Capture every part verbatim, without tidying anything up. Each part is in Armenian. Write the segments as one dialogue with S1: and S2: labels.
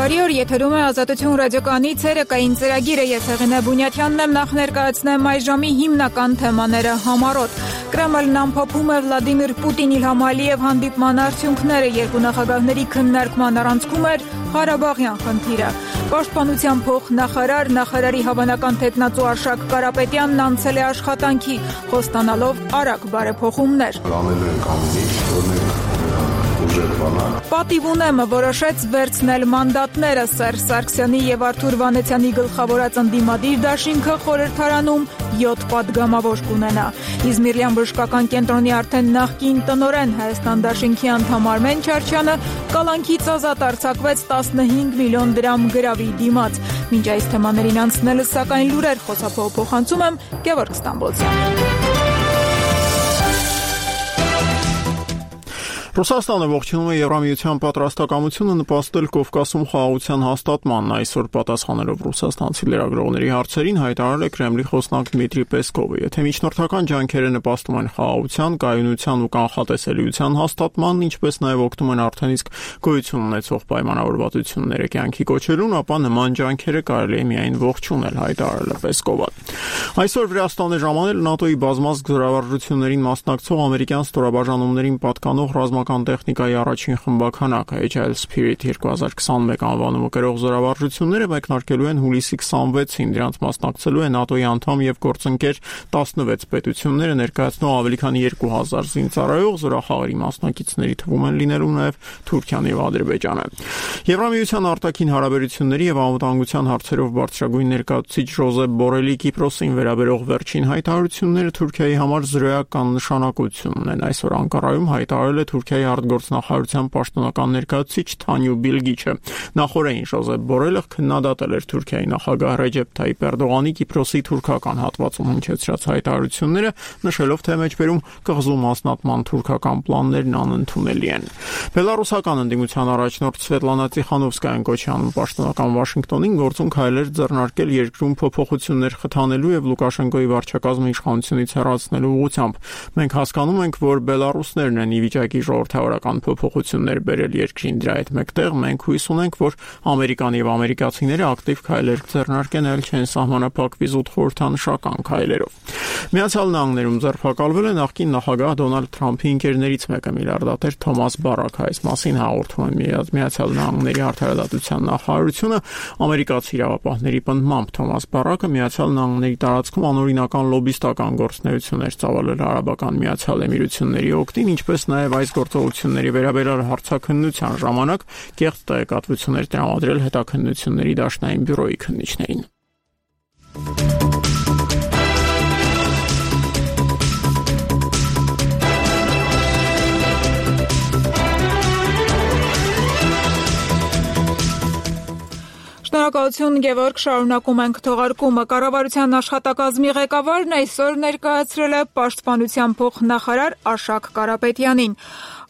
S1: Բարի օր, եթերում է Ազատություն ռադիոկայանի ցերեկային ծրագիրը, ես Հեղինե Բունյաթյանն եմ, նախ ներկայացնեմ այս ժամի հիմնական թեմաները համառոտ։ Կրեմլն ամփոփում է Վլադիմիր Պուտին-Իլհամ Ալիև հանդիպման արդյունքները, երկու նախագահների քննարկման առանցքում էր Ղարաբաղյան խնդիրը։ Պաշտպանության փոխնախարար, նախարարի հավանական թեկնածու Արշակ Կարապետյանն անցել է աշխատանքի, խոստանալով արագ բարեփոխումներ։
S2: Անելու ենք ամեն ինչ, որ մենք
S1: Պատիվ ունեմը որոշեց վերցնել մանդատները Սերժ Սարգսյանի եւ Արթուր Վանեցյանի գլխավորած ընդդիմադիր դաշինքը խորհրդարանում յոթ պատգամավոր կունենա։ Իզմիրյան բժշկական կենտրոնի արդեն նախկին տնօրեն Հայաստան դաշինքի անդամ Արմեն Չարչյանը կալանքից ազատ արձակվեց տասնհինգ միլիոն դրամ գրավի դիմաց։ Մինչ այս թեմաներին անցնելը սակայն լուրեր խոսափող փոխանցում եմ Գևորգ Ստամբոլցյան։
S3: Ռուսաստանը ողջունում է Եվրամիության պատրաստակամությունը նպաստել Կովկասում խաղաղության հաստատմանն, այսօր պատասխանելով ռուսաստանցի լրագրողների հարցերին հայտարարել է Կրեմլի խոսնակ Դմիտրի Պեսկովը։ Եթե միջնորդական ջանքերը նպաստում են խաղաղության, կայունության ու կանխատեսելիության հաստատմանն, ինչպես նաև օգնում են արդեն իսկ գոյություն ունեցող պայմանավորվածությունները կյանքի կոչելուն, ապա նման ջանքերը կարելի է միայն ողջունել, հայտարարել է Պեսկովը։ Այսօր Վրաստան է ժամանել ՆԱՏՕ-ի բազմազգ զորավարժություններին մասնակցող ամերիկյան ստորաբաժանումներին պատկանող ռազմական տեխնիկայի առաջին խմբաքանակը Agile Spirit երկու հազար քսանմեկ անվանումը կրող զորավարժությունները մեկնարկելու են հուլիսի քսանվեցին, դրանց մասնակցելու է ՆԱՏՕ-ի անդամ եւ գործընկեր տասնվեց պետությունները, ներկայացնող ավելի քան երկու հազար զինծառայող, զորախաղերի մասնակիցների թվում են լինելու նաեւ Թուրքիան եւ Ադրբեջանը։ Եվրամիության արտաքին հարաբերությունների եւ անվտանգության հարցերով բարձրագույն ներկայացուցիչ Ժոզեփ Բորելի Կիպրոսին վերաբերող վերջին հայտարարությունները Թուրքիայի համար զրոյական նշանակություն ունեն։ Այսօր Անկարայում հայտարարել է Թուրքիայի արտգործնախարարության պաշտոնական ներկայացուցիչ Թանյու Բիլգիչը։ Նախորդին Ժոզեփ Բորելը քննադատել էր Թուրքիայի նախագահ Ռեջեփ Թայիփ Էրդողանի Կիպրոսի թուրքական հատվածում հնչեցրած հայտարարությունները, նշելով, թե մեջբերում կղզու մասնատման թուրքական պլաններն անընդունելի են։ Բելարուսական ընդդիմության առաջնորդ Սվետլանա Տիխանովսկայան կոչյանում պաշտոնական Վաշինգտոնին գործուն քայլեր ձեռնարկել երկրում փոփոխություններ խթանելու եւ Լուկաշենկոյի վարչակազմի իշխանությունից հեռացնելու ուղղությամբ։ Մենք հասկանում ենք, որ բելարուսներն են ի վիճակի ժողովրդավարական փոփոխություններ բերել երկրին, դրա հետ մեկտեղ մենք հույս ունենք, որ Ամերիկան եւ ամերիկացիները ակտիվ քայլեր ձեռնարկեն, այլ չեն սահմանափակվի զուտ խորհրդանշական քայլերով։ Միացյալ Նահանգներում ձերբակալվել է նախկին նախագահ Դոնալդ Թրամփի ընկերներից մեկը, միլիարդատեր Թոմաս Բարաքը։ Այս մասին հաղորդում է Միացյալ Նահանգների արդարադատության նախարարությունը։ Ամերիկացի իրավապահների պնդմամբ Թոմաս Բարաքը Միացյալ Նահանգների տարածքում անօրինական լոբիստական գործունեություններ ծավալել Արաբական Միացյալ Էմիրությունների օգտին, ինչպես նաև այս գործողությունների վերաբերյալ հարցաքննության ժամանակ կեղծ տեղեկատվություններ տրամադրել հետաքննությունների դաշնային բյուրոյի քննիչներին։
S1: Շնորհակալություն Գևորգ, շարունակում ենք թողարկումը։ Կառավարության աշխատակազմի ղեկավարն այսօր ներկայացրել է պաշտպանության փոխնախարար Արշակ Կարապետյանին,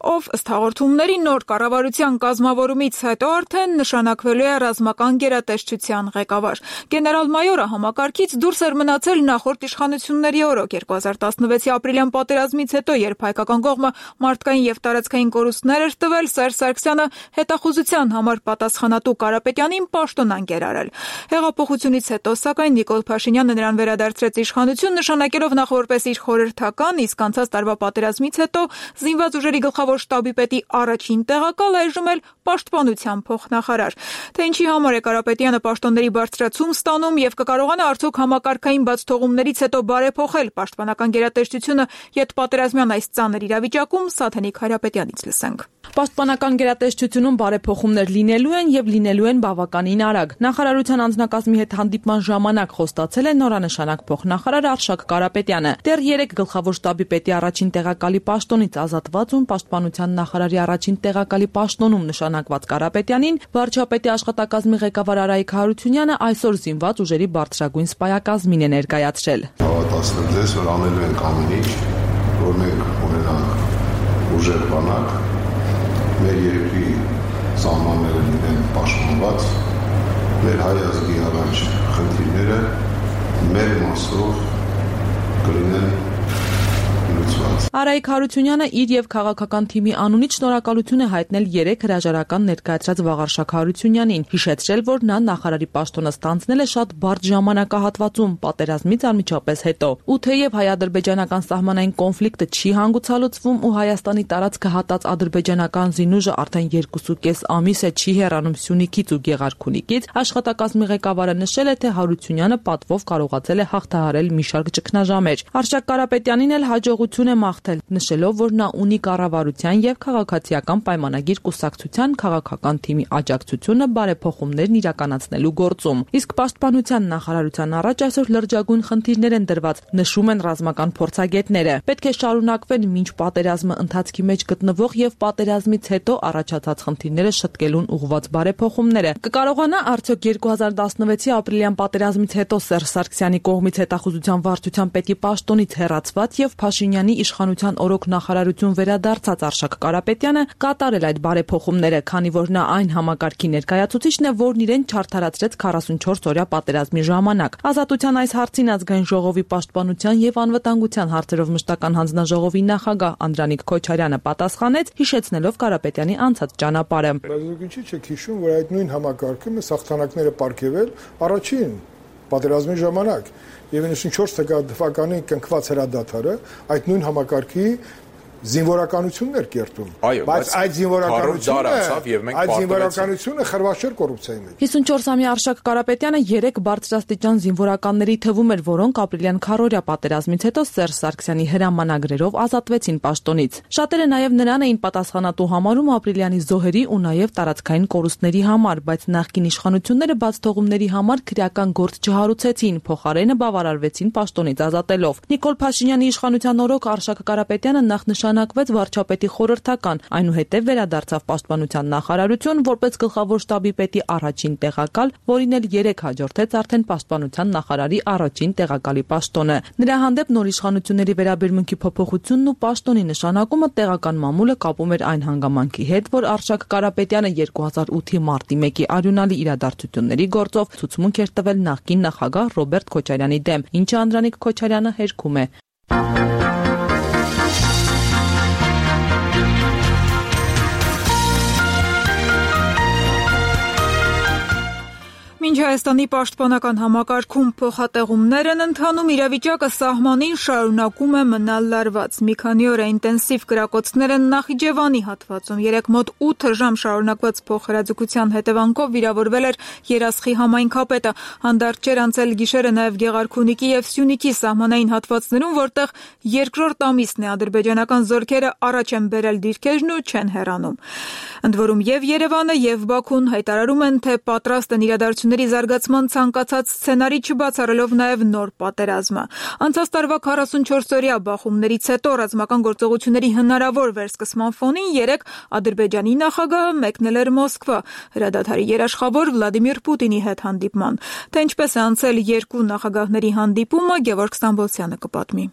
S1: ով ըստ հաղորդումների նոր կառավարության կազմավորումից հետո արդեն նշանակվելու է ռազմական գերատեսչության ղեկավար։ Գեներալ-մայորը համակարգից դուրս էր մնացել նախորդ իշխանությունների օրոք երկու հազար տասնվեցի ապրիլյան պատերազմից հետո, երբ հայկական կողմը մարդկային եւ տարածքային կորուստներ էր տվել, Սերժ Սարգսյանը հետախուզության համար պատասխանատու Կարապետյանին պաշտոնանկ էր արել։ Հեղափոխությունից հետո, սակայն, Նիկոլ Փաշինյանը նրան վերադարձրեց իշխանություն, նշանակելով նախ որպես իր խորհրդական, իսկ անցած տարվա պատերազմից հետո զինված ուժերի գլխավոր շտաբի պետի առաջին տեղակալ, այժմ էլ պաշտպանության փոխնախարար։ Թե ինչի համար է Կարապետյանը պաշտոնների բարձրացում ստանում եւ կկարողանա արդյոք համակարգային բացթողումներից հետո բարեփոխել պաշտպանական գերատեսչությունը յետպատերազմյան այս ծանր իրավիճակում, Սաթենիկ Հարապետյանից լսենք։
S4: Պաշտպանական գերատեսչությունում բարեփոխումներ լինելու են եւ լինելու են բավականին արագ։ Նախարարության անձնակազմի հետ հանդիպման ժամանակ խոստացել է նորանշանակ փոխնախարար Արշակ Կարապետյանը։ Դեռ երեք գլխավոր շտաբի պետի առաջին տեղակալի պաշտոնից ազատված ու պաշտպանության նախարարի առաջին տեղակալի պաշտոնում նշանակված Կարապետյանին վարչապետի աշխատակազմի ղեկավար Արայիկ Հարությունյանը այսօր զինված ուժերի բարձրագույն սպայակազմին է ներկայացրել։
S2: Հավատացնել ձեզ, որ անելու ենք ամեն ինչ, որ մենք ունենանք ուժեղ բանակ, մեր երկրի սահմանները լինեն պաշտպանված, մեր հայ ազգի առաջ խնդիրները մեր մասով կլինեն լուծված։
S4: Արայիկ Հարությունյանը իր եւ քաղաքական թիմի անունից շնորհակալություն է հայտնել երեք հրաժարական ներկայացրած Վաղարշակ Հարությունյանին, հիշեցրել, որ նա նախարարի պաշտոնը ստանձնել է շատ բարդ ժամանակահատվածում պատերազմից անմիջապես հետո։ Ու թեև հայ-ադրբեջանական սահմանային կոնֆլիկտը չի հանգուցալուծվում ու Հայաստանի տարածքը հատած ադրբեջանական զինուժը արդեն երկուսուկես ամիս է չի հեռանում Սյունիքից ու Գեղարքունիքից, աշխատակազմի ղեկավարը նշել է, թե Հարությունյանը պատվով կարողացել է հաղթահարել մի շարք ճգնաժամեր։ Արշակ Կարապետյանին էլ հաջողություն է մաղթել, նշելով, որ նա ունի կառավարության եւ քաղաքացիական պայմանագիր կուսակցության քաղաքական թիմի աջակցությունը բարեփոխումներն իրականացնելու գործում։ Իսկ պաշտպանության նախարարության առաջ այսօր լրջագույն խնդիրներ են դրված, նշում են ռազմական փորձագետները։ Պետք է շարունակվեն մինչ պատերազմը ընթացքի մեջ գտնվող եւ պատերազմից հետո առաջացած խնդիրները շտկելուն ուղղված բարեփոխումները։ Կկարողանա արդյոք երկու հազար տասնվեցի ապրիլյան պատերազմից հետո Սերժ Սարգսյանի կողմից հետախուզության վարչության պետի պաշտոնից հեռացված եւ Փաշինյանի իշխանության օրոք նախարարություն վերադարձած Արշակ Կարապետյանը կատարել այդ բարեփոխումները, քանի որ նա այն համակարգի ներկայացուցիչն է, որն իրեն չարթարացրեց քառասունչորս օրյա պատերազմի ժամանակ։ Ազատության այս հարցին ազգային ժողովի պաշտպանության եւ անվտանգության հարցերով մշտական հանձնաժողովի նախագահ Անդրանիկ Քոչարյանը պատասխանեց, հիշեցնելով Կարապետյանի անցած ճանապարհը։
S5: Բայց ինչի՞ չեք հիշում, որ այդ նույն համակարգը մեզ հաղթանակները պարգևել առաջին պատերազմի ժամանակ եւ իննսունչորս թվականի կնքված հրադադարը այդ նույն համակարգի զինվորականություններ կերտում, բայց այդ զինվորականությունը այդ զինվորականությունը խրվաշեր կոռուպցիայի մեջ։
S4: հիսունչորսամյա Արշակ Կարապետյանը երեք բարձրաստիճան զինվորականների թվում էր, որոնք ապրիլյան քառօրյա պատերազմից հետո Սերժ Սարգսյանի հրամանագրերով ազատվեցին պաշտոնից։ Շատերը նաև նրան էին պատասխանատու համարում ապրիլյանի զոհերի ու նաև տարածքային կորուստների համար, բայց նախկին իշխանությունները բացթողումների համար քրեական գործ չհարուցեցին, փոխարենը բավարարվեցին պաշտոնից ազատելով։ Նիկոլ Փաշինյանի իշխանության օրոք Արշակ Կարապետյանը նախ նշանակվեց վարչապետի խորհրդական, այնուհետև վերադարձավ պաշտպանության նախարարություն որպես գլխավոր շտաբի պետի առաջին տեղակալ, որին էլ երեք հաջորդեց արդեն պաշտպանության նախարարի առաջին տեղակալի պաշտոնը։ Նրա հանդեպ նոր իշխանությունների վերաբերմունքի փոփոխությունն ու պաշտոնի նշանակումը տեղական մամուլը կապում էր այն հանգամանքի հետ, որ Արշակ Կարապետյանը երկու հազար ութի մարտի մեկի արյունալի իրադարձությունների գործով ցուցմունք էր տվել նախկին նախագահ Ռոբերտ Քոչարյանի դեմ, ինչը Անդրանիկ Քոչարյանը հերքում է։
S1: Մինչ Հայաստանի պաշտպանական համակարգում փոխատեղումներ են ընթանում, իրավիճակը սահմանին շարունակում է մնալ լարված։ Մի քանի օր է ինտենսիվ կրակոցներ են Նախիջևանի հատվածում։ Երեկ մոտ ութ ժամ շարունակված փոխհրաձգության հետևանքով վիրավորվել էր Երասխի համայնքապետը։ Հանդարտ չէր անցել գիշերը նաև Գեղարքունիքի եւ Սյունիքի սահմանային հատվածներում, որտեղ երկրորդ ամիսն է ադրբեջանական զորքերը առաջ են բերել դիրքերն ու չեն հեռանում։ Ընդ որում եւ Երևանը եւ Բաքուն հայտարարում են, թե պատրաստ են իրադարձությունների զարգացման ցանկացած սցենարի չբացառելով նաև նոր պատերազմը։ Անցած տարվա քառասունչորսօրյա բախումներից հետո ռազմական գործողությունների հնարավոր վերսկսման ֆոնին երեկ Ադրբեջանի նախագահը մեկնել էր Մոսկվա հրադադարի երաշխավոր Վլադիմիր Պուտինի հետ հանդիպման։ Թե ինչպես է անցել երկու նախագահների հանդիպումը, Գևորգ Ստամբոլցյանը կպատմի։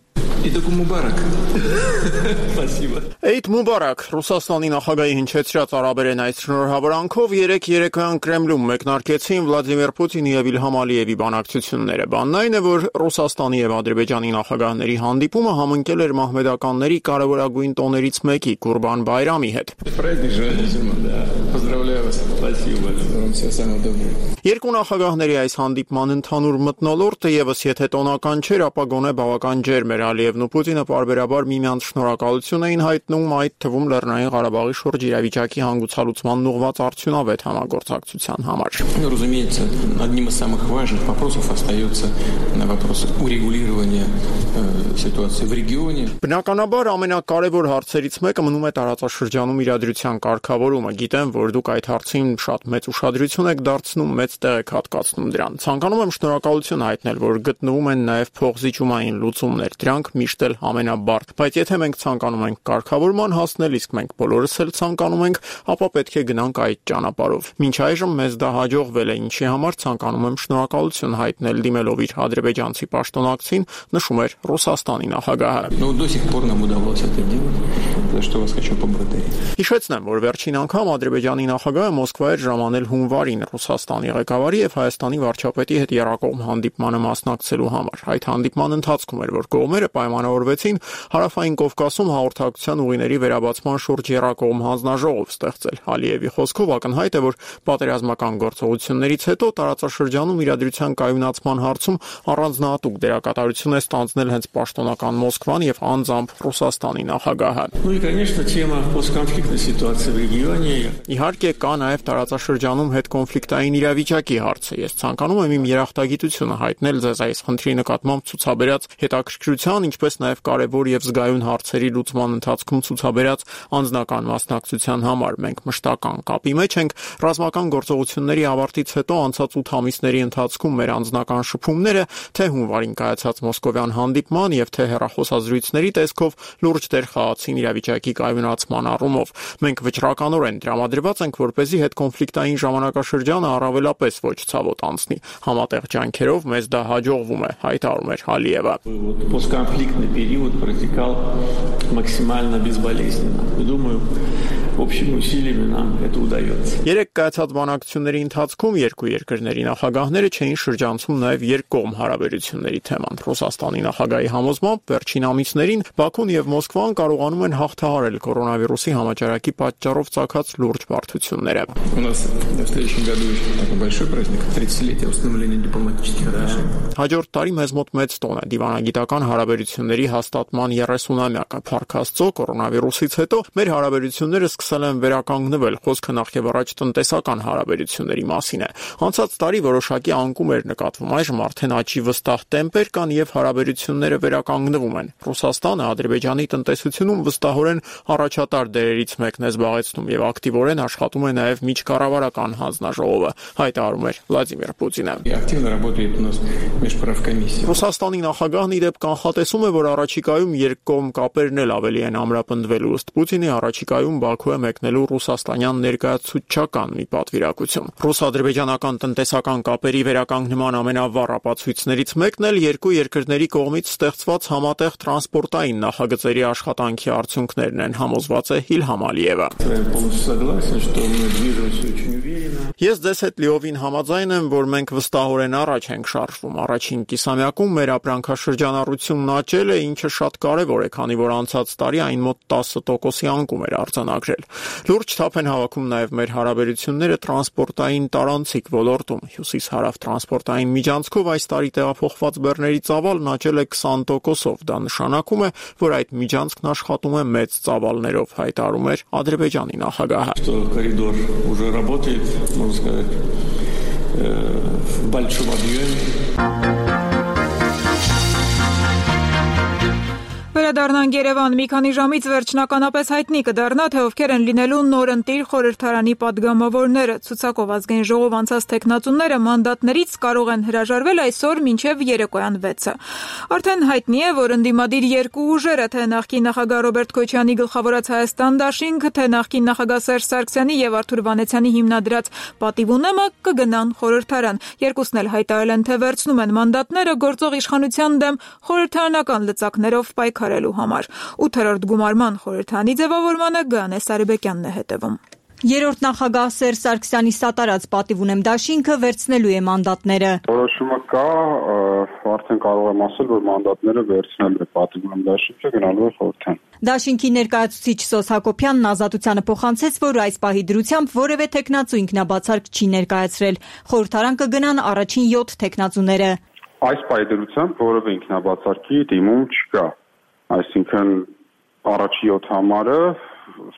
S3: Էյդ Մուբարակ, Ռուսաստանի նախագահի հնչեցրած արաբերեն այս շնորհավորանքով երեք երեկոյան Կրեմլում մեկնարկեցին Վլադիմիր Պուտինի եւ Իլհամ Ալիևի բանակցությունները։ Բանն այն է, որ Ռուսաստանի եւ Ադրբեջանի նախագահների հանդիպումը համընկել էր մահմեդականների կարևորագույն տոներից մեկի Կուրբան Բայրամի հետ։ Երկու նախագահների այս հանդիպման ընդհանուր մթնոլորտը եւս եթե տոնական չէր, ապա գոնե բավական ջերմ էր։ Ալիևն ու Պուտինը պարբերաբար միմյանց շնորհակալություն էին հայտնում, այդ թվում Լեռնային Ղարաբաղի շուրջ իրավիճակի հանգուցալուծման ուղղված արդյունավետ համագործակցության համար։
S6: Разумеется, одним из самых важных вопросов остается вопрос урегулирования ситуации в регионе.
S3: Բնականաբար ամենակարևոր հարցերից մեկը մնում է տարածաշրջանում իրադրության կարգավորումը։ Գիտեմ, որ դուք այդ հարցին շատ մեծ ուշադրություն եք դարձնում, մեծ տեղ եք հատկացնում դրան։ Ցանկանում եմ շնորհակալություն հայտնել, որ գտնվում են նաև փոխզիջումային լուծումներ։ Դրանք միշտ էլ ամենաբարդ, բայց եթե մենք ցանկանում ենք կարգավորման հասնել, իսկ մենք բոլորս էլ ցանկանում ենք, ապա պետք է գնանք այդ ճանապարհով։ Մինչ այժմ մեզ դա հաջողվել է, ինչի համար ցանկանում եմ շնորհակալություն հայտնել դիմելով իր ադրբեջանցի պաշտոնակցին, նշում էր Ռուսաստանի նախագահը։
S6: Ну, до сих пор нам удалось это делать. за что вас хочу поблагодарить.
S3: Հիշեցնեմ, որ վերջին անգամ Ադրբեջանի նախագահը Մոսկվա էր ժամանել հունվարին Ռուսաստանի ղեկավարի եւ Հայաստանի վարչապետի հետ եռակողմ հանդիպմանը մասնակցելու համար։ Այդ հանդիպման ընթացքում էր, որ կողմերը պայմանավորվեցին Հարավային Կովկասում հաղորդակցության ուղիների վերաբացման շուրջ եռակողմ հանձնաժողով ստեղծել։ Ալիևի խոսքով ակնհայտ է, որ պատերազմական գործողություններից հետո տարածաշրջանում իրադրության կայունացման հարցում առանձնահատուկ դերակատարություն է ստանձնել հենց պաշտոնական Մոսկվան եւ անձամբ Ռուսաստանի նախագահը։
S6: Ну и, конечно, тема постконфликтной ситуации в регионе.
S3: Իհարկե կա նաև տարածաշրջանում հետկոնֆլիկտային իրավիճակի հարցը։ Ես ցանկանում եմ իմ երախտագիտությունը հայտնել ձեզ այս խնդրի նկատմամբ ցուցաբերած հետաքրքրության, ինչպես նաև կարևոր եւ զգայուն հարցերի լուծման ընթացքում ցուցաբերած անձնական մասնակցության համար։ Մենք մշտական կապի մեջ ենք ռազմական գործողությունների ավարտից հետո անցած ութ ամիսների ընթացքում մեր անձնական շփումները թե հունվարին կայացած մոսկովյան հանդիպման եւ թե հեռախոսազրույցների տեսքով լուրջ դեր խաղացին իրավիճակի կայունացման առումով։ Մենք վճռականորեն տրամադրված ենք, որպեսզի հետկոնֆլիկտային ժամանակաշրջանը առավելապես ոչ ցավոտ անցնի։ Համատեղ ջանքերով մեզ դա հաջողվում է, հայտարարում էր Ալիևը։
S6: Постконфликтный период протекал максимально безболезненно. Думаю, общими усилиями нам это удается.
S3: Երեք կայացած բանակցությունների ընթացքում երկու երկրների նախագահները չէին շրջանցում նաև երկկողմ հարաբերությունների թեման։ Ռուսաստանի նախագահի համոզմամբ վերջին ամիսներին Բաքուն եւ Մոսկվան կարողանում են հաղթահարել կորոնավիրուսի համաճարակի պատճառով ծագած լուրջ բարդությունները։
S6: У нас в следующем году еще такой большой праздник тридцатилетия установления дипломатических отношений.
S3: Հաջորդ տարի մեզ մոտ մեծ տոն է դիվանագիտական հարաբերությունների հաստատման երեսունամյակը։ Փառք Աստծո, կորոնավիրուսից հետո մեր հարաբերությունները սկսել են վերականգնվել։ Խոսքը նախ եւ առաջ տնտեսական հարաբերությունների մասին է։ Անցած տարի որոշակի անկում էր նկատվում, այժմ արդեն աճի վստահ տեմպեր կան եւ հարաբերությունները վերականգնվում են։ Ռուսաստանը Ադրբեջանի տնտեսությունում վստահորեն առաջատար դերերից մեկն է զբաղեցնում եւ ակտիվորեն աշխատում է նաեւ միջկառավարական հանձնաժողովը, հայտարարում էր Վլադիմիր Պուտինը։
S6: Активно работает у нас межправкомиссия.
S3: Ռուսաստանի նախագահն իդեպ կանխատեսում է, որ առաջիկայում երկկողմ կապերն էլ ավելի են ամրապնդվելու։ Ըստ Պուտինի առաջիկայում Բաքու է մեկնելու ռուսաստանյան ներկայացուցչական մի պատվիրակություն։ Ռուս-ադրբեջանական տնտեսական կապերի վերականգնման ամենավառ ապացույցներից մեկն էլ երկու երկրների կողմից ստեղծված համատեղ տրանսպորտային նախագծերի աշխատանքի արդյունքներն են, համոզված է Իլհամ Ալիևը։ Ես ձեզ հետ լիովին համաձայն եմ, որ մենք վստահորեն առաջ ենք շարժվում։ Առաջին կիսամյակում մեր ապրանքաշրջանառությունն աճել է, ինչը շատ կարևոր է, քանի որ անցած տարի այն մոտ տասը տոկոսի անկում էր արձանագրել։ Լուրջ թափ են հավաքում նաև մեր հարաբերությունները տրանսպորտային տարանցիկ ոլորտում։ Հյուսիս-հարավ տրանսպորտային միջանցքով այս տարի տեղափոխված բեռների ծավալն աճել է քսան տոկոսով։ Դա նշանակում է, որ այդ միջանցքն աշխատում է մեծ ծավալներով, հայտարարում էր Ադրբեջանի նախագահը։
S6: Коридор уже работает, можно сказать, в большом объеме.
S1: Վերադառնանք Երևան, մի քանի ժամից վերջնականապես հայտնի կդառնա, թե ովքեր են լինելու նորընտիր խորհրդարանի падգամավորները։ Ցուցակով ազգային ժողով անցած տեխնացուները մանդատներից կարող են հրաժարվել այսօր մինչև երեկոյան վեցը։ Արդեն հայտնի է, որ ընդդիմադիր երկու ուժերը, թե նախկին նախագահ Ռոբերտ Քոչյանի գլխավորած Հայաստան դաշինքը, թե նախկին նախագահ Սերժ Սարգսյանի եւ Արթուր Վանեցյանի հիմնադրած Պատիվունեմը կգնան խորհրդարան։ Երկուսն էլ հայտարարել են, թե վերցնում են մանդատները գործող իշխանության դեմ խորհրդարանական լծակներով պայքարելու համար։ Ութերորդ գումարման խորհրդանի ձևավորմանը Գանե Սարիբեկյանն է հետևում։
S7: Երրորդ նախագահ Սերժ Սարգսյանի սատարած Պատիվունեմ դաշինքը վերցնելու է մանդատները։
S8: Որոշումը կա, արդեն կարող եմ ասել, որ մանդատները վերցնելու է Պատիվունեմ դաշինքը, գնալու է խորհրդարան։
S7: Դաշինքի ներկայացուցիչ Սոս Հակոբյանն Ազատությանը փոխանցեց, որ այս պահի դրությամբ որևէ տեխնացու ինքնաբացարկ չի ներկայացրել։ Խորհրդարան կգնան առաջին յոթ տեխնացուները։
S8: Այս պահի դրությամբ որևէ ինքնաբացարկի դիմում չկա։ Այսինքն առաջի յոթ համարը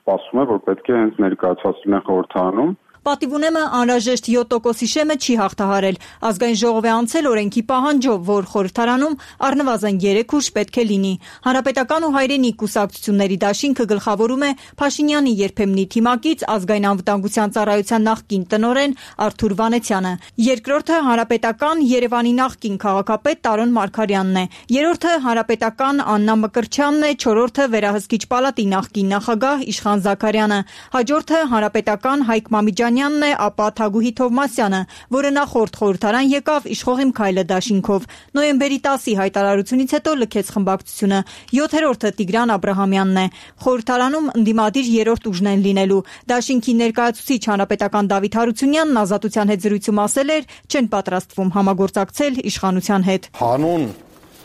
S8: սպասում է, որ պետք է հենց ներկայացված լինեն խորհրդարանում։
S7: Պատիվունեմը անհրաժեշտ յոթ տոկոսի շեմը չի հաղթահարել։ Ազգային ժողով է անցել օրենքի պահանջով, որ խորհրդարանում առնվազն երեք ուժ պետք է լինի։ Հանրապետական ու հայրենիք կուսակցությունների դաշինքը գլխավորում է Փաշինյանի երբեմնի թիմակից ազգային անվտանգության ծառայության նախկին տնօրեն Արթուր Վանեցյանը։ Երկրորդը Հանրապետական Երևանի նախկին քաղաքապետ Տարոն Մարգարյանն է։ Երրորդը Հանրապետական Աննա Մկրտչյանն է, չորրորդը Վերահսկիչ պալատի նախկին նախագահ Իշխան Զաքարյանը։ Հաջորդը Հանրապետական Հայկ Մամիջյան Վարդանյանն է, ապա Թագուհի Թովմասյանը, որը նախորդ խորհրդարան եկավ իշխող Իմ քայլը դաշինքով։ Նոյեմբերի տասի հայտարարությունից հետո լքեց խմբակցությունը։ յոթերորդը Տիգրան Աբրահամյանն է։ Խորհրդարանում ընդդիմադիր երրորդ ուժն են լինելու։ Դաշինքի ներկայացուցիչ հանրապետական Դավիթ Հարությունյանն Ազատության հետ զրույցում ասել էր, չեն պատրաստվում համագործակցել իշխանության հետ։
S9: Հանուն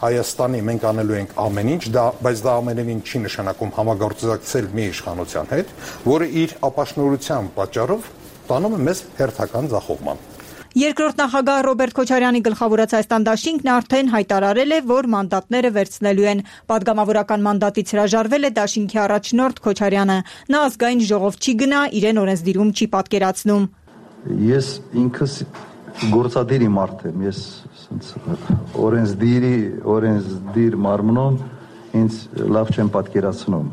S9: Հայաստանի մենք անելու ենք ամեն ինչ, դա, բայց դա ամենևին չի նշանակում համագործակցել մի իշխանության հետ, որը իր ապաշնորհության պատճառով տանում է մեզ հերթական ձախողման։
S7: Երկրորդ նախագահ Ռոբերտ Քոչարյանի գլխավորած Հայաստան դաշինքն արդեն հայտարարել է, որ մանդատները վերցնելու են։ Պատգամավորական մանդատից հրաժարվել է դաշինքի առաջնորդ Քոչարյանը։ Նա ազգային ժողով չի գնա, իրեն օրենսդիրում չի պատկերացնում։
S10: Ես ինքս գործադիրի մարդ եմ, ես օրենսդիրի օրենսդիր մարմնում ինձ լավ չեմ պատկերացնում։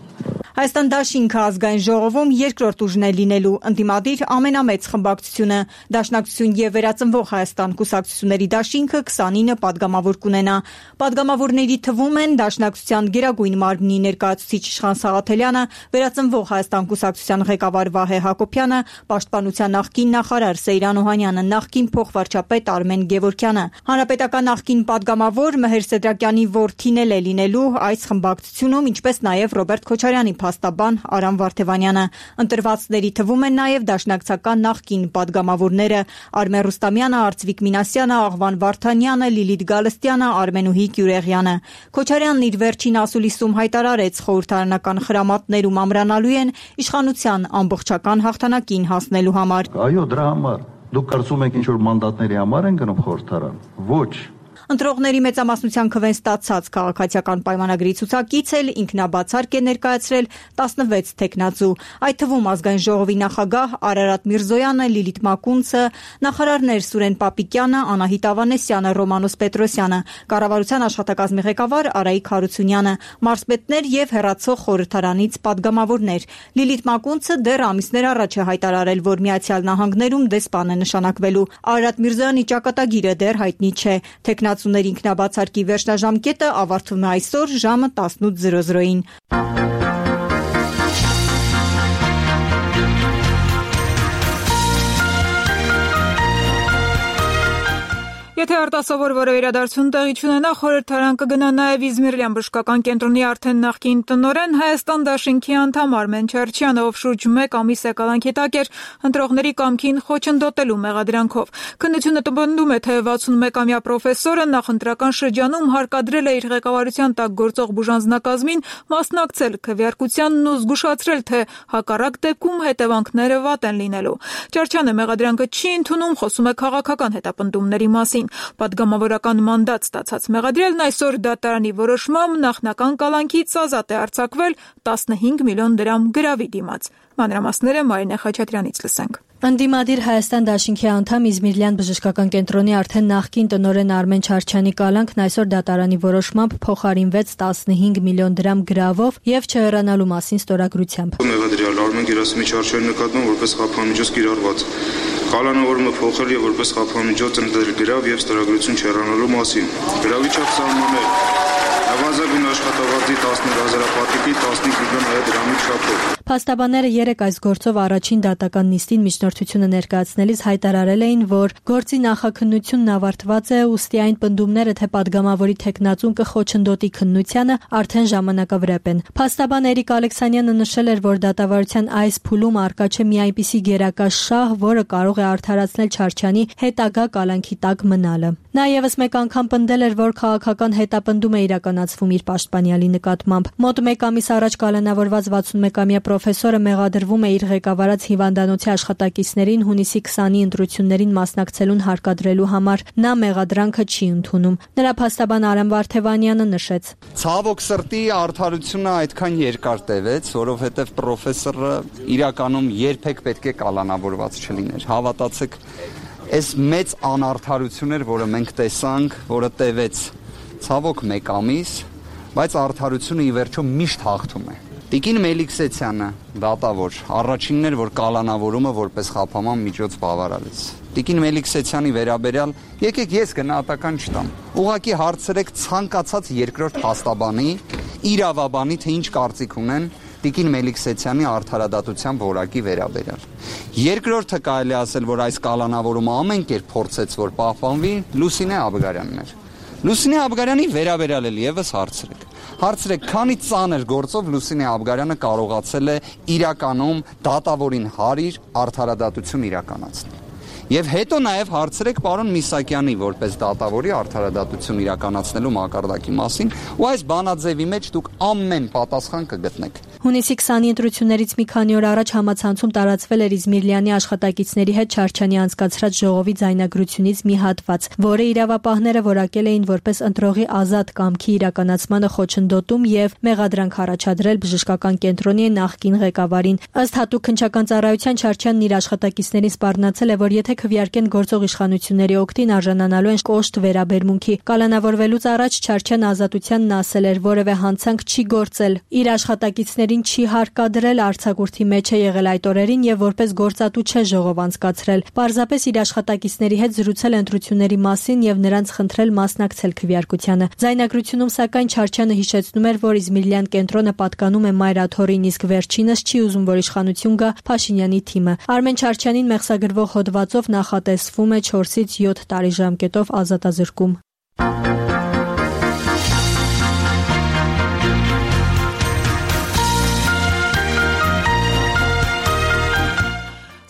S7: Հայաստան դաշինքը ազգային ժողովում երկրորդ ուժն է լինելու, ընդդիմադիր ամենամեծ խմբակցությունը։ Դաշնակցություն եւ Վերածնվող Հայաստան կուսակցությունների դաշինքը քսանինը պատգամավոր կունենա։ Պատգամավորների թվում են Դաշնակցության Գերագույն մարմնի ներկայացուցիչ Իշխան Սաղաթելյանը, Վերածնվող Հայաստան կուսակցության ղեկավար Վահե Հակոբյանը, Պաշտպանության նախկին նախարար Սեյրան Օհանյանը, նախկին փոխվարչապետ Արմեն Գևորգյանը։ Հանրապետական նախկին պատգամավոր Մհեր Սեդրակյանի որդին էլ է լինելու այս խմբակցությունում, ինչպես նաեւ Ռոբերտ Քոչարյանի փաստաբան Արամ Վարդևանյանը։ Ընտրվածների թվում են նաև դաշնակցական նախկին պատգամավորները Արմեն Ռուստամյանը, Արծվիկ Մինասյանը, Աղվան Վարդանյանը, Լիլիթ Գալստյանը, Արմենուհի Գյուրեղյանը։ Քոչարյանն իր վերջին ասուլիսում հայտարարեց, խորհրդարանական խրամատներում ամրանալու են իշխանության ամբողջական հաղթանակին հասնելու համար։
S10: Այո, դրա համար։ Դուք կարծում եք ինչ որ մանդատների համար են գնում խորհրդարան։ Ոչ։
S7: Ընտրողների մեծամասնության քվեն ստացած քաղաքացիական պայմանագրի ցուցակից էլ ինքնաբացարկ է ներկայացրել տասնվեց թեկնածու, այդ թվում ազգային ժողովի նախագահ Արարատ Միրզոյանը, Լիլիթ Մակունցը, նախարարներ Սուրեն Պապիկյանը, Անահիտ Ավանեսյանը, Ռոմանոս Պետրոսյանը, կառավարության աշխատակազմի ղեկավար Արայիկ Հարությունյանը, մարզպետներ եւ հեռացող խորհրդարանից պատգամավորներ։ Լիլիթ Մակունցը դեռ ամիսներ առաջ է հայտարարել, որ Միացյալ Նահանգներում դեսպան է նշանակվելու։ Արարատ Միրզոյանի ճակատագիրը դեռ հայտնի չէ։ Թեկնածուների ինքնաբացարկի վերջնաժամկետը ավարտվում է այսօր ժամը տասնութ զրո զրոին։
S1: Եթե արտասովոր որևէ իրադարձություն տեղի չունենա, խորհրդարան կգնա նաև Իզմիրլյան բժշկական կենտրոնի արդեն նախկին տնօրեն Հայաստան դաշինքի անդամ Արմեն Չարչյանը, ով շուրջ մեկ ամիս է կալանքի տակ էր ընտրողների կամքին խոչընդոտելու մեղադրանքով։ Քննությունը տպնդում է, թե վաթսունմեկամյա պրոֆեսորը նախընտրական շրջանում հարկադրել է իր ղեկավարության տակ գործող բուժանձնակազմին մասնակցել քվեարկությանն ու զգուշացրել, թե հակառակ դեպքում հետևանքները վատ են լինելու։ Չարչյանը մեղադրանքը չի ընդունում, խոսում է քաղաքական հետապնդումների մասին։ Պատգամավորական մանդատ ստացած մեղադրելն այսօր դատարանի որոշմամբ նախնական կալանքից ազատ է արձակվել տասնհինգ միլիոն դրամ գրավի դիմաց։ Մանրամասները Մարինե Խաչատրյանից լսենք։
S11: Ընդդիմադիր Հայաստան դաշինքի անդամ Իզմիրլյան բժշկական կենտրոնի արդեն նախկին տնօրեն Արմեն Չարչյանի կալանքն այսօր դատարանի որոշմամբ փոխարինվեց տասնհինգ միլիոն դրամ գրավով եւ չհեռանալու մասին ստորագրությամբ։
S12: Մեղադրյալ Արմեն Գերասիմի Չարչյանի նկատմամբ որպես խափանմիջոց կիրառված կալանավորումը փոխել եւ որպես խափանմիջոց ընդդել գրավ եւ ստորագրություն չհեռանալու մասին։ Գրավի չափ սահմանել Նվազագույն աշխատավարձի տասնհինգ հազարապատիկի տասնհինգ միլիոն դրամի չափով։
S11: Փաստաբանները երեկ այս գործով առաջին դատական նիստին միջնորդությունը ներկայացնելիս հայտարարել էին, որ գործի նախաքննությունն ավարտված է, ուստի այն պնդումները, թե падգամավորի թեկնածուն կխոչընդոտի քննությանը, արդեն ժամանակավրեպ են։ Փաստաբան Էրիկ Ալեքսանյանը նշել էր, որ դատավարության այս փուլում առկա չէ մի այնպիսի գերակա շահ, որը կարող է արդարացնել Չարչյանի հետագա կալանքի տակ մնալը։ Նա եւս մեկ անգամ պնդել էր, որ քաղաքական հետապնդում է իրականացվում իր պաշտպանյալի նկատմամբ։ Մոտ մեկ ամիս առաջ կալանավորված վաթսունմեկամյա պրոֆեսորը մեղադրվում է իր ղեկավարած հիվանդանոցի աշխատակիցներին հունիսի քսանի ընտրություններին մասնակցելուն հարկադրելու համար։ Նա մեղադրանքը չի ընդունում։ Նրա փաստաբան Արամ Վարդևանյանը նշեց.
S13: Ցավոք սրտի արդարությունը այդքան երկար տևեց, որովհետև պրոֆեսորը իրականում երբեք պետք է կալանավորված չլիներ։ Հավատացեք, այս մեծ անարդարություն էր, որը մենք տեսանք, որը տևեց ցավոք մեկ ամիս, բայց արդարությունը ի վերջո միշտ հաղթում է։ Տիկին Մելիքսեցյանը, դատավոր, առաջինն էր, որ կալանավորումը որպես խափանման միջոց բավարարեց։ Տիկին Մելիքսեցյանի վերաբերյալ եկեք ես գնահատական չտամ։ Ուղղակի հարցրեք ցանկացած երկրորդ փաստաբանի, իրավաբանի, թե ինչ կարծիք ունեն Տիկին Մելիքսեթյանի արդարադատության որակի վերաբերյալ։ Երկրորդը կարելի ասել, որ այս կալանավորումը ամեն կերպ փորձեց, որ պահպանվի, Լուսինե Աբգարյանն էր։ Լուսինե Աբգարյանի վերաբերյալ էլ եւս հարցրեք։ Հարցրեք, քանի ծանր գործով Լուսինե Աբգարյանը կարողացել է իրականում դատավորին հարիր արդարադատություն իրականացնել։ Եվ հետո նաև հարցրեք պարոն Միսակյանի որպես դատավորի արդարադատություն իրականացնելու մակարդակի մասին, ու այս բանաձևի մեջ դուք ամեն պատասխան կգտնեք։
S11: Հունիսի քսանի ընտրություններից մի քանի օր առաջ համացանցում տարածվել էր Իզմիրլյանի աշխատակիցների հետ Չարչյանի անցկացրած ժողովի ձայնագրությունից մի հատված, որը իրավապահները որակել էին որպես ընտրողի ազատ կամքի իրականացմանը խոչընդոտում եւ մեղադրանք առաջադրել բժշկական կենտրոնի նախկին ղեկավարին։ Ըստ հատուկ քննչական ծառայության Չարչյանն իր աշխատակիցներին սպառնացել է, որ եթե քվեարկեն գործող իշխանությունների օգտին արժանանալու են կոշտ վերաբերմունքի։ Կալանավորվելուց առաջ Չարչյանը ազատությանն ասել էր, որևէ հանցանք չի գործել։ Իր աշխատակիցներին չի հարկադրել, արձակուրդի մեջ է եղել այդ օրերին եւ որպես գործատու չէ ժողով անցկացրել։ Պարզապես իր աշխատակիցների հետ զրուցել ընտրությունների մասին եւ նրանց խնդրել մասնակցել քվեարկությանը։ Ձայնագրությունում սակայն Չարչյանը հիշեցնում էր, որ Իզմիրլյան կենտրոնը պատկանում է Մայր Աթորին, իսկ վերջինս չի ուզում, որ իշխանություն գա Փաշինյանի թիմը։ Արմեն Չարչյանին մեղսագրվող հոդվածով նախատեսվում է չորսից յոթ տարի ժամկետով ազատազրկում։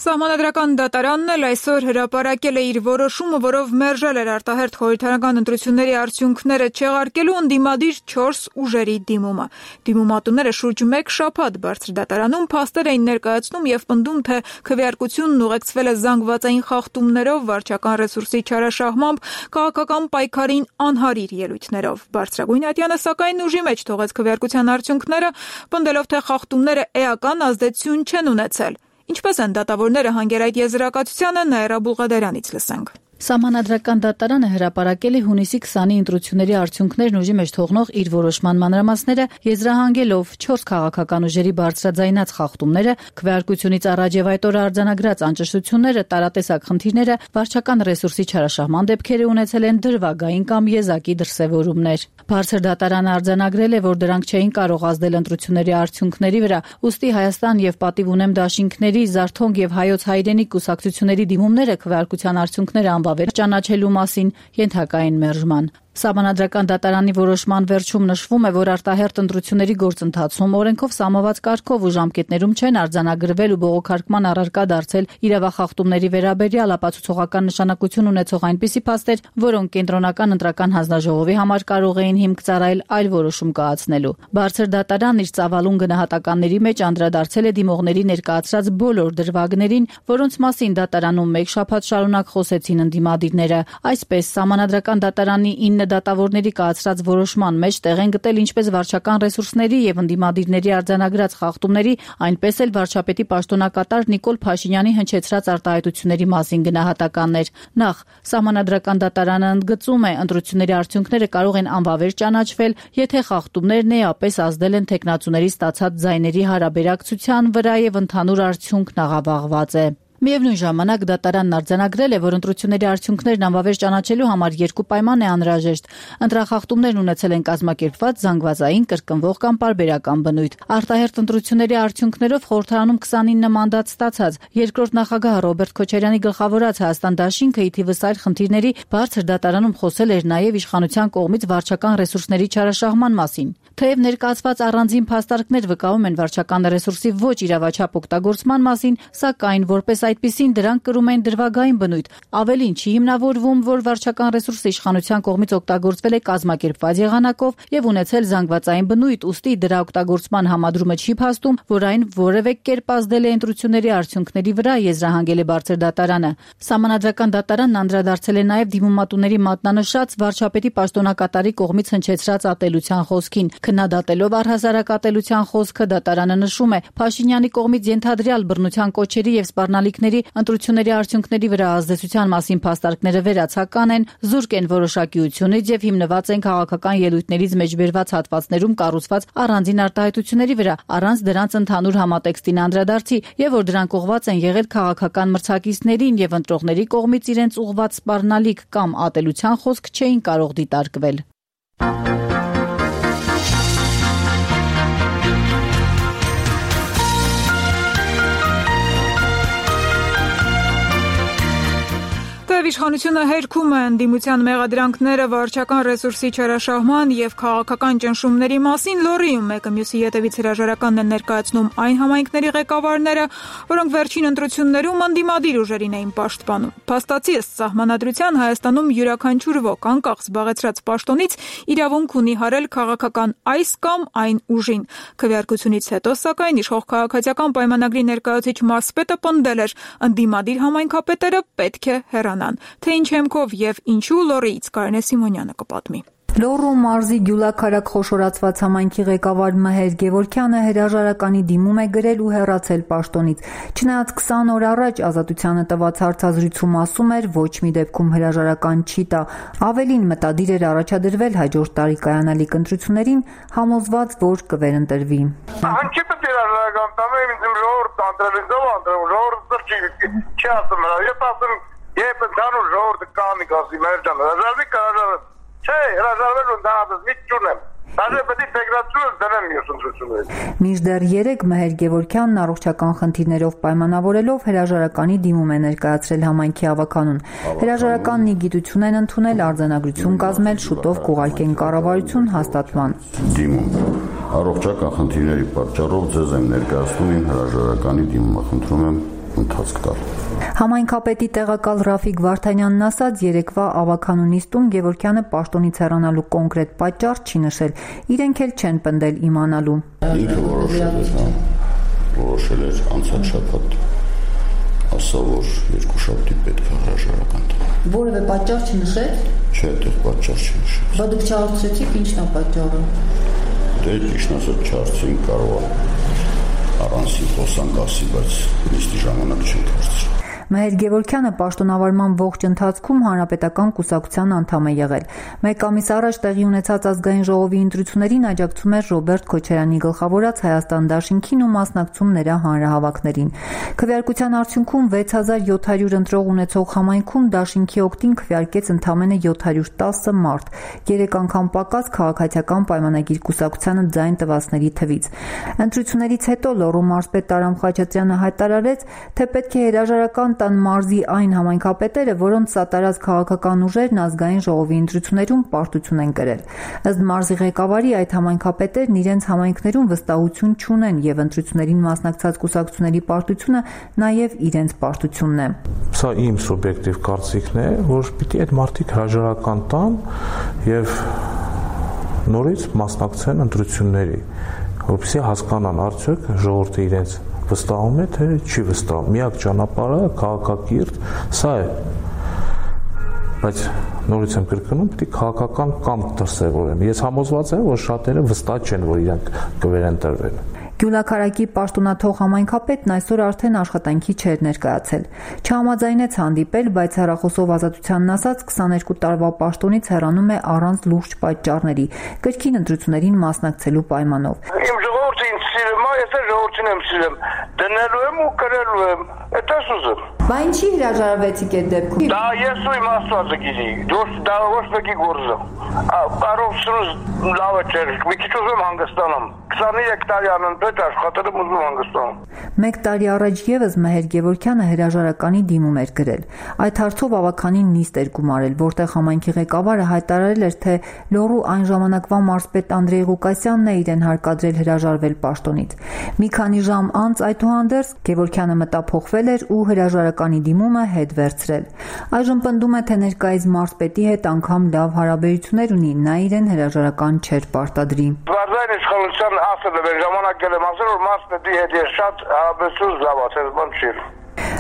S1: Սահմանադրական դատարանն էլ այսօր հրապարակել է իր որոշումը, որով մերժել էր արտահերթ խորհրդարանական ընտրությունների արդյունքները չեղարկելու ընդդիմադիր չորս ուժերի դիմումը։ Դիմումատուները շուրջ մեկ շաբաթ բարձր դատարանում փաստեր էին ներկայացնում եւ պնդում, թե քվեարկությունն ուղեկցվել է զանգվածային խախտումներով, վարչական ռեսուրսի չարաշահմամբ, քաղաքական պայքարին անհարիր ելույթներով։ Բարձրագույն ատյանը սակայն ուժի մեջ թողեց քվեարկության արդյունքները, պնդելով, թե խախտումները էական ազդեցություն չեն ունեցել։ Ինչպես են դատավորները հանգել այդ եզրակացությանը, Նաիրա Բուլղադարյանից լսենք։
S14: Սահմանադրական դատարանը հրապարակել է հունիսի քսանի ընտրությունների արդյունքներն ուժի մեջ թողնող իր որոշման մանրամասները, եզրահանգելով չորս քաղաքական ուժերի բարձրաձայնած խախտումները, քվեարկությունից առաջ եւ այդ օրը արձանագրած անճշտությունները, տարատեսակ խնդիրները, վարչական ռեսուրսի չարաշահման դեպքերը ունեցել են դրվագային կամ եզակի դրսևորումներ։ Բարձր դատարանը արձանագրել է, որ դրանք չէին կարող ազդել ընտրությունների արդյունքների վրա, ուստի Հայաստան եւ Պատիվ ունեմ դաշինքների, Զարթոնք եւ Հայոց հայրենիք կուսակցությունների դիմումները քվեարկության արդյունքները անվավեր ճանաչելու մասին ենթակային մերժման։ Սահմանադրական դատարանի որոշման վերջում նշվում է, որ արտահերթ ընտրությունների գործընթացում օրենքով սահմանված կարգով ու ժամկետներում չեն արձանագրվել ու բողոքարկման առարկա դարձել իրավախախտումների վերաբերյալ ապացուցողական նշանակություն ունեցող այնպիսի փաստեր, որոնք կենտրոնական ընտրական հանձնաժողովի համար կարող էին հիմք ծառայել այլ որոշում կայացնելու։ Բարձր դատարանն իր ծավալուն գնահատականների մեջ անդրադարձել է դիմողների ներկայացրած բոլոր դրվագներին, որոնց մասին դատարանում մեկ շաբաթ շարունակ խոսեցին ընդդիմադիրները։ Այսպես, Սահմանադրական դատարանի ինը դատավորների կայացրած որոշման մեջ տեղ են գտել ինչպես վարչական ռեսուրսների եւ ընդդիմադիրների արձանագրած խախտումների, այնպես էլ վարչապետի պաշտոնակատար Նիկոլ Փաշինյանի հնչեցրած արտահայտությունների մասին գնահատականներ։ Նախ, Սահմանադրական դատարանը ընդգծում է, ընտրությունների արդյունքները կարող են անվավեր ճանաչվել, եթե խախտումներն էապես ազդել են թեկնածուների ստացած ձայների հարաբերակցության վրա եւ ընդհանուր արդյունքն աղավաղված է։ Միևնույն ժամանակ դատարանն արձանագրել է, որ ընտրությունների արդյունքներն անվավեր ճանաչելու համար երկու պայման է անհրաժեշտ։ Ընտրախախտումներն ունեցել են կազմակերպված, զանգվածային, կրկնվող կամ պարբերական բնույթ։ Արտահերթ ընտրությունների արդյունքներով խորհրդարանում քսանինը մանդատ ստացած երկրորդ նախագահ Ռոբերտ Քոչարյանի գլխավորած Հայաստան դաշինքը ի թիվս այլ խնդիրների բարձր դատարանում խոսել էր նաև իշխանության կողմից վարչական ռեսուրսների չարաշահման մասին։ Թեև ներկայացված առանձին փաստարկներ վկայում են վարչական ռեսուրսի ոչ իրավաչափ օգտագործման մասին, սակայն որպես այդպիսին դրանք կրում են դրվագային բնույթ։ Ավելին, չի հիմնավորվում, որ վարչական ռեսուրսը իշխանության կողմից օգտագործվել է կազմակերպված եղանակով եւ ունեցել զանգվածային բնույթ, ուստի դրա օգտագործման համադրումը չի փաստում, որ այն որևէ կերպ ազդել է ընտրությունների արդյունքների վրա, եզրահանգել է բարձր դատարանը։ Սահմանադրական դատարանն անդրադարձել է նաեւ դիմումատուների մատնանշած վարչապետի պաշտոնակատարի կողմից հնչեցրած ատելության խոսքին։ Քննադատելով առհասարակ ատելության խոսքը, դատարանը նշում է, Փաշինյանի կողմից ենթադրյալ բռնության կոչերի եւ սպառնալիքների ընտրությունների արդյունքների վրա ազդեցության մասին փաստարկները վերացական են, զուրկ են որոշակիությունից եւ հիմնված են քաղաքական ելույթներից մեջբերված հատվածներում կառուցված առանձին արտահայտությունների վրա, առանց դրանց ընդհանուր համատեքստին անդրադարձի, եւ որ դրանք ուղղված են եղել քաղաքական մրցակիցներին եւ ընտրողների կողմից իրենց ուղղված սպառնալիք կամ ատելության խոսք չէին կարող դիտարկվել։
S1: Թեև իշխանությունը հերքում է ընդդիմության մեղադրանքները վարչական ռեսուրսի չարաշահման եւ քաղաքական ճնշումների մասին, լոռիում մեկը մյուսի ետևից հրաժարականն են ներկայացնում այն համայնքների ղեկավարները, որոնք վերջին ընտրություններում ընդդիմադիր ուժերին էին պաշտպանում։ Փաստացի ըստ սահմանադրության Հայաստանում յուրաքանչյուր ոք անկախ զբաղեցրած պաշտոնից իրավունք ունի հարել քաղաքական այս կամ այն ուժին։ Քվեարկությունից հետո, սակայն, իշխող քաղաքացիական պայմանագրի ներկայացուցիչ մարզպետը պնդել էր, ընդդիմադիր համայնքապետերը պետք է հեռանան։ Թե ինչ հեմքով եւ ինչու, լոռիից Կարինե Սիմոնյանը կպատմի։
S15: Լոռու մարզի Գյուլաքարակ խոշորացված համայնքի ղեկավար Մհեր Գևորգյանը հրաժարականի դիմում է գրել ու հեռացել պաշտոնից։ Չնայած քսան օր առաջ Ազատությանը տված հարցազրույցում ասում էր, ոչ մի դեպքում հրաժարական չի տա։ Ավելին, մտադիր էր առաջադրվել հաջորդ տարի կայանալիք ընտրություններին, համոզված, որ կվերընտրվի։
S16: Անչի պետք է հրաժարական տամ, ինձ ժողովուրդ անդրել, ժողովուրդ չի, չի ասում հրա, ես ասում, երբ ընդհանուր ժողովուրդը կանի կասի, մեր ջան, հրաժարվի կհրաժարվի։ Չէ, հրաժարվել ընդհանրապես մի չունեմ։ Դաժե պետք է ֆեդերացիոն դնեմ մյուս ընտրություններին։
S15: Մինչդեռ երեկ Մհեր Գևորգյանն առողջական խնդիրներով պայմանավորելով հրաժարականի դիմում է ներկայացրել համայնքի ավականուն։ Հրաժարականն ի գիտություն են ընդունել, արձանագրություն կազմել, շուտով կուղարկեն կառավարություն հաստատման։
S17: Դիմում առողջական խնդիրների պատճառով ձեզ եմ ներկայացնում իմ հրաժարականի դիմումը, խնդրում եմ ընթացք տալ։
S15: Համայնքապետի տեղակալ Ռաֆիկ Վարդանյանն ասաց, երեկվա ավականու նիստում Գևորգյանը պաշտոնից հեռանալու կոնկրետ պատճառ չի նշել, իրենք էլ չեն պնդել իմանալու։
S17: Ինքը որոշել էր, հա, որոշել էր անցած շաբաթ, ասա, որ երկու շաբթի պետք է հրաժարական տա։
S15: Որևէ պատճառ չնշել։
S17: Չէ, այդտեղ պատճառ չի նշել։
S15: Բա դուք չհարցրեցիք, ինչն է պատճառը։
S17: Դե ճիշտ ասած չհարցրին, կարող է առանցին խոսանք ասի, բայց նիստի ժամանակ չենք հարցրել։
S15: Մհեր Գևորգյանը պաշտոնավարման ողջ ընթացքում հանրապետական կուսակցության անդամ է եղել։ Մեկ ամիս առաջ տեղի ունեցած ազգային ժողովի ընտրություններին աջակցում էր Ռոբերտ Քոչարյանի գլխավորած Հայաստան դաշինքին ու մասնակցում նրա հանրահավաքներին։ Քվեարկության արդյունքում վեց հազար յոթ հարյուր ընտրող ունեցող համայնքում դաշինքի օգտին քվեարկեց ընդամենը յոթ հարյուր տասը մարդ, երեք անգամ պակաս քաղաքացիական պայմանագիր կուսակցությանը ձայն տվածների թվից։ Ընտրություններից հետո Լոռու մարզպետ Տարամ Խաչատրյանը հայտարարեց, թե պետք է հրաժարական տան մարզի այն համայնքապետերը, որոնց սատարած քաղաքական ուժերն ազգային ժողովի ընտրություններում պարտություն են կրել։ Ըստ մարզի ղեկավարի, այդ համայնքապետերն իրենց համայնքներում վստահություն չունեն եւ ընտրություններին մասնակցած կուսակցությունների պարտությունը նաեւ իրենց պարտությունն է։
S18: Սա իմ սուբյեկտիվ կարծիքն է, որ պիտի այդ մարդիկ հրաժարական տան եւ նորից մասնակցեն ընտրությունների, որպեսզի հասկանան արդյոք ժողովուրդը իրենց վստահում է, թե չի վստահում։ Միակ ճանապարհը քաղաքակիրթ սա է։ Բայց նորից եմ կրկնում, պետք է քաղաքական կամք դրսևորեն։ Ես համոզված եմ, որ շատերը վստահ չեն, որ իրանք կվերընտրվեն։
S15: Գյուլաքարակի պաշտոնաթող համայնքապետն այսօր արդեն աշխատանքի չէր ներկայացել։ Չհամաձայնեց հանդիպել, բայց հեռախոսով Ազատությանն ասաց, քսաներկու տարվա պաշտոնից հեռանում է առանց լուրջ պատճառների, կրկին ընտրություններին մասնակցելու պայմանով։
S16: Իմ ժողովուրդը ինձ սիրում է, ես ժողովրդին եմ սիրում, դնելու եմ ու կրելու եմ, այդպես ուզում։
S15: Բա ինչի հրաժարվեցիք այդ դեպքում։
S16: Դա ես ու իմ Աստվածը գիտի, դա ոչ մեկի գործը։ Կարողությունս լավը չէր, մի քիչ ուզում հանգստանամ։ քսաներեք տարի անընդհատ աշխատել եմ, ուզում հանգստանամ։
S15: Մեկ տարի առաջ եւս Մհեր Գևորգյանը հրաժարականի դիմում էր գրել։ Այդ հարցով ավականին նիստ էր գումարել, որտեղ համայնքի ղեկավարը հայտարարել էր, թե Լոռու այն ժամանակվա մարզպետ Անդրեյ Ղուկասյանն է իրեն հարկադրել հրաժարվել պաշտոնից։ Մի քանի ժամ անց այդուհանդերձ Գևորգյանը մտափոխվել էր ու հրաժարականի դիմումը հետ վերցրել։ Այժմ պնդում է, թե ներկայիս մարզպետի հետ անգամ լավ հարաբերություններ ունի, նա իրեն հրաժարական չէր պարտադրի։
S16: Վարդային իշխանության ասել է, ժամանակ գելեմ ասել, որ մարզպետի հետ ես շատ հարաբերություն զավացել, բան չի։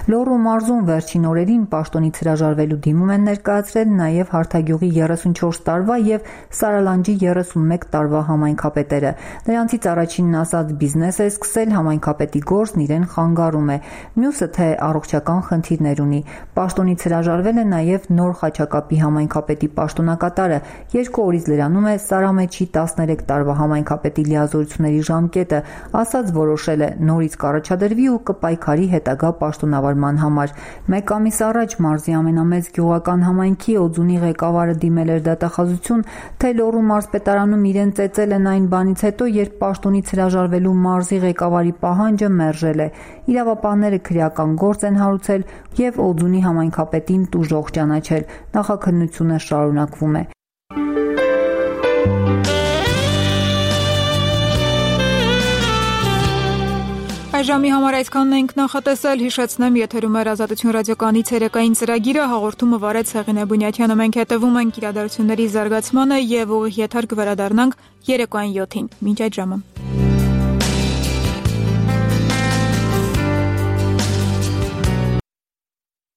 S15: Լոռու մարզում վերջին օրերին պաշտոնից հրաժարվելու դիմում են ներկայացրել նաև Հարթագյուղի երեսունչորս տարվա եւ Սարալանջի երեսունմեկ տարվա համայնքապետերը։ Նրանցից առաջինն ասած բիզնես է սկսել, համայնքապետի գործն իրեն խանգարում է։ Մյուսը թե առողջական խնդիրներ ունի։ Պաշտոնից հրաժարվել է նաև Նոր Խաչակապի համայնքապետի պաշտոնակատարը։ Երկու օրից լրանում է Սարամեջի տասներեք տարվա համայնքապետի լիազորությունների ժամկետը, ասած որոշել է նորից կառաջադրվի ու կպայքարի հետագա պաշտոն պաշտոնավարման համար։ Մեկ ամիս առաջ մարզի ամենամեծ գյուղական համայնքի Օձունի ղեկավարը դիմել էր դատախազություն, թե Լոռու մարզպետարանում իրեն ծեծել են այն բանից հետո, երբ պաշտոնից հրաժարվելու մարզի ղեկավարի պահանջը մերժել է։ Իրավապահները քրեական գործ են հարուցել եւ Օձունի համայնքապետին տուժող ճանաչել։ Նախաքննությունը շարունակվում է։
S1: Այժմի համար այսքանն ենք նախատեսել, հիշեցնեմ, եթերում էր Ազատություն ռադիոկայանի ցերեկային ծրագիրը, հաղորդումը վարեց Հեղինե Բունյաթյանը, մենք հետևում ենք իրադարձությունների զարգացմանը եւ ուղիղ եթեր կվերադառնանք երեկոյան յոթին։ Մինչ այդ ժամը։